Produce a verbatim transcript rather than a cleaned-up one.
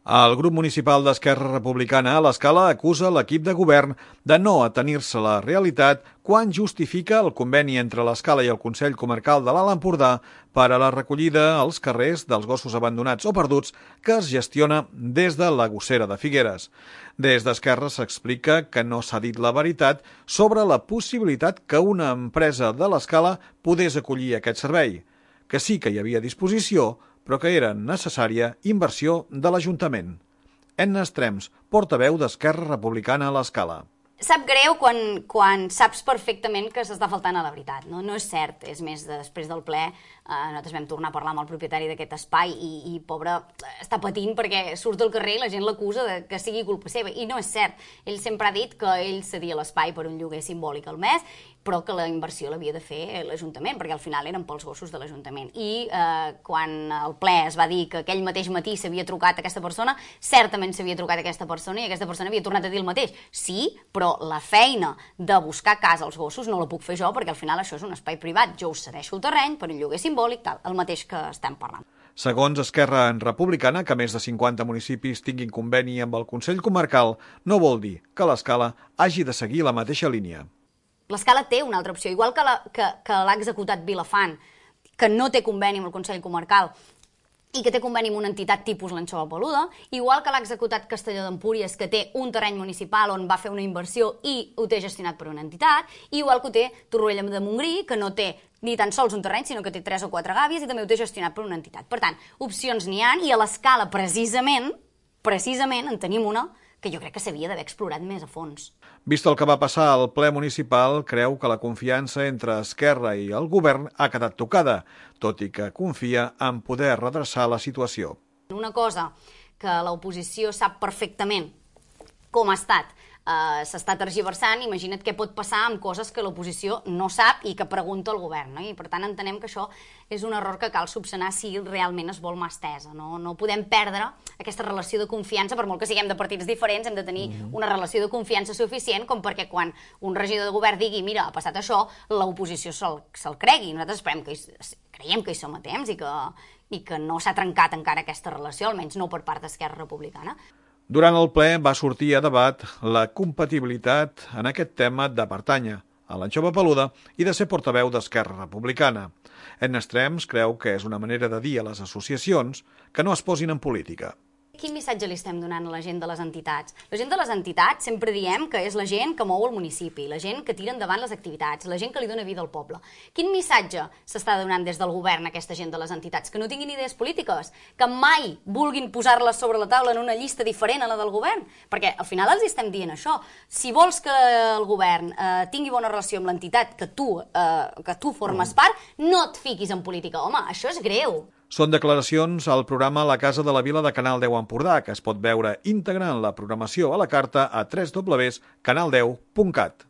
El grup municipal d'Esquerra Republicana a l'Escala acusa l'equip de govern de no atenir-se a la realitat quan justifica el conveni entre l'Escala i el Consell Comarcal de l'Alt Empordà per a la recollida als carrers dels gossos abandonats o perduts que es gestiona des de la Gossera de Figueres. Des d'Esquerra s'explica que no s'ha dit la veritat sobre la possibilitat que una empresa de l'Escala pogués acollir aquest servei, que sí que hi havia disposició, però que era necessària inversió de l'Ajuntament. Enna Estrems, portaveu d'Esquerra Republicana a l'Escala. Sap greu quan, quan saps perfectament que s'està faltant a la veritat. No, no és cert. És més, després del ple, eh, nosaltres vam tornar a parlar amb el propietari d'aquest espai i, i pobre, està patint perquè surt al carrer i la gent l'acusa de que sigui culpa seva. I no és cert. Ell sempre ha dit que ell cedia l'espai per un lloguer simbòlic al mes, però que la inversió l'havia de fer l'Ajuntament, perquè al final eren pels gossos de l'Ajuntament. I eh, quan el ple es va dir que aquell mateix matí s'havia trucat a aquesta persona, certament s'havia trucat a aquesta persona i aquesta persona havia tornat a dir el mateix. Sí, però la feina de buscar casa als gossos no la puc fer jo, perquè al final això és un espai privat. Jo us cedeixo el terreny per un lloguer simbòlic, tal, el mateix que estem parlant. Segons Esquerra Republicana, que més de cinquanta municipis tinguin conveni amb el Consell Comarcal no vol dir que l'Escala hagi de seguir la mateixa línia. L'Escala té una altra opció, igual que l'ha que, que l'ha executat Vilafant, que no té conveni amb el Consell Comarcal i que té conveni amb una entitat tipus l'Anxova Peluda, igual que l'ha executat Castelló d'Empúries, que té un terreny municipal on va fer una inversió i ho té gestionat per una entitat, i igual que ho té Torroella de Montgrí, que no té ni tan sols un terreny, sinó que té tres o quatre gàbies i també ho té gestionat per una entitat. Per tant, opcions n'hi ha, i a l'Escala, precisament, precisament, en tenim una que jo crec que s'havia d'haver explorat més a fons. Vist el que va passar al ple municipal, creu que la confiança entre Esquerra i el govern ha quedat tocada, tot i que confia en poder redreçar la situació. Una cosa que l'oposició sap perfectament com ha estat, Uh, s'està tergiversant, imagina't què pot passar amb coses que l'oposició no sap i que pregunta al govern, no? I per tant entenem que això és un error que cal subsanar si realment es vol mà estesa. No, no podem perdre aquesta relació de confiança, per molt que siguem de partits diferents, hem de tenir una relació de confiança suficient com perquè quan un regidor de govern digui mira, ha passat això, l'oposició se'l se cregui. Nosaltres esperem que hi, creiem que hi som a temps i que, i que no s'ha trencat encara aquesta relació, almenys no per part d'Esquerra Republicana. Durant el ple va sortir a debat la compatibilitat en aquest tema de pertànyer a l'Anxova Peluda i de ser portaveu d'Esquerra Republicana. Enna Estrems creu que és una manera de dir a les associacions que no es posin en política. Quin missatge li estem donant a la gent de les entitats? La gent de les entitats sempre diem que és la gent que mou el municipi, la gent que tira endavant les activitats, la gent que li dona vida al poble. Quin missatge s'està donant des del govern a aquesta gent de les entitats? Que no tinguin idees polítiques? Que mai vulguin posar-les sobre la taula en una llista diferent a la del govern? Perquè al final els estem dient això. Si vols que el govern eh, tingui bona relació amb l'entitat que tu, eh, que tu formes part, no et fiquis en política. Home, això és greu. Són declaracions al programa La Casa de la Vila de Canal deu Empordà, que es pot veure íntegre en la programació a la carta a w w w punt canal deu punt cat.